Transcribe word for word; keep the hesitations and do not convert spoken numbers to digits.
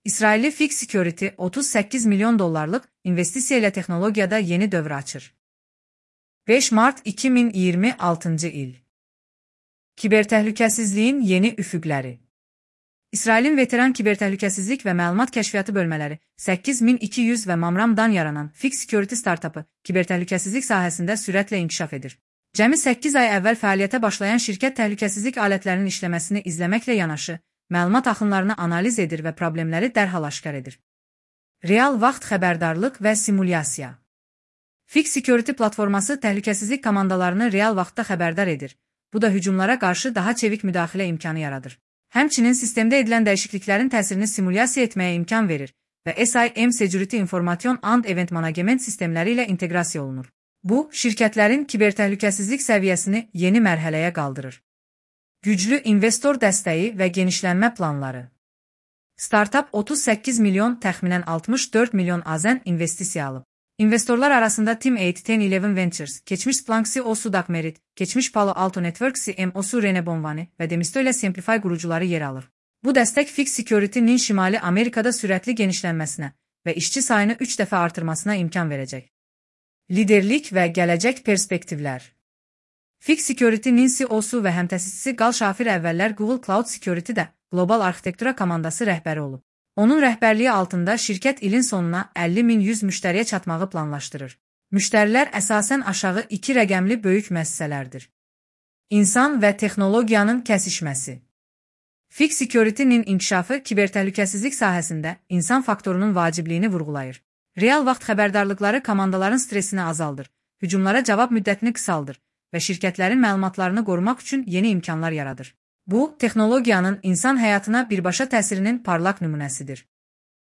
İsrailli Fix Security otuz səkkiz milyon dollarlıq investisiya ilə texnologiyada yeni dövr açır. beş mart iki min iyirmi altıncı il. Kibertəhlükəsizliyin yeni üfüqləri. İsrailin veteran kibertəhlükəsizlik və məlumat kəşfiyyatı bölmələri səkkiz min iki yüz və Mamramdan yaranan Fix Security startapı kibertəhlükəsizlik sahəsində sürətlə inkişaf edir. Cəmi səkkiz ay əvvəl fəaliyyətə başlayan şirkət təhlükəsizlik alətlərinin işləməsini izləməklə yanaşı, məlumat axınlarını analiz edir və problemləri dərhal aşkar edir. Real vaxt xəbərdarlıq və simulyasiya. Fix Security platforması təhlükəsizlik komandalarını real vaxtda xəbərdar edir. Bu da hücumlara qarşı daha çevik müdaxilə imkanı yaradır. Həmçinin sistemdə edilən dəyişikliklərin təsirini simulyasiya etməyə imkan verir və S I M Security Information and Event Management sistemləri ilə inteqrasiya olunur. Bu, şirkətlərin kibertəhlükəsizlik səviyyəsini yeni mərhələyə qaldırır. Güclü investor dəstəyi və genişlənmə planları. Startup otuz səkkiz milyon, təxminən altmış dörd milyon AZN investisiya alıb. İnvestorlar arasında Team eight on eleven Ventures, keçmiş Splunk C E O Sudak Merit, keçmiş Palo Alto Networks C M O-su Rene Bonvani və Demisto ilə Simplify qurucuları yer alır. Bu dəstək Fix Security-nin Şimali Amerikada sürətli genişlənməsinə və işçi sayını üç dəfə artırmasına imkan verəcək. Liderlik və gələcək perspektivlər. Fix Security-nin C E O-su və həmtəsisçisi Gal Şafir əvvəllər Google Cloud Security-də qlobal arxitektura komandası rəhbəri olub. Onun rəhbərliyi altında şirkət ilin sonuna əlli min yüz müştəriyə çatmağı planlaşdırır. Müştərilər əsasən aşağı iki rəqəmli böyük müəssisələrdir. İnsan və texnologiyanın kəsişməsi. Fix Security-nin inkişafı kibertəhlükəsizlik sahəsində insan faktorunun vacibliyini vurğulayır. Real vaxt xəbərdarlıqları komandaların stresini azaldır, hücumlara cavab müddətini qısaldır və şirkətlərin məlumatlarını qorumaq üçün yeni imkanlar yaradır. Bu, texnologiyanın insan həyatına birbaşa təsirinin parlaq nümunəsidir.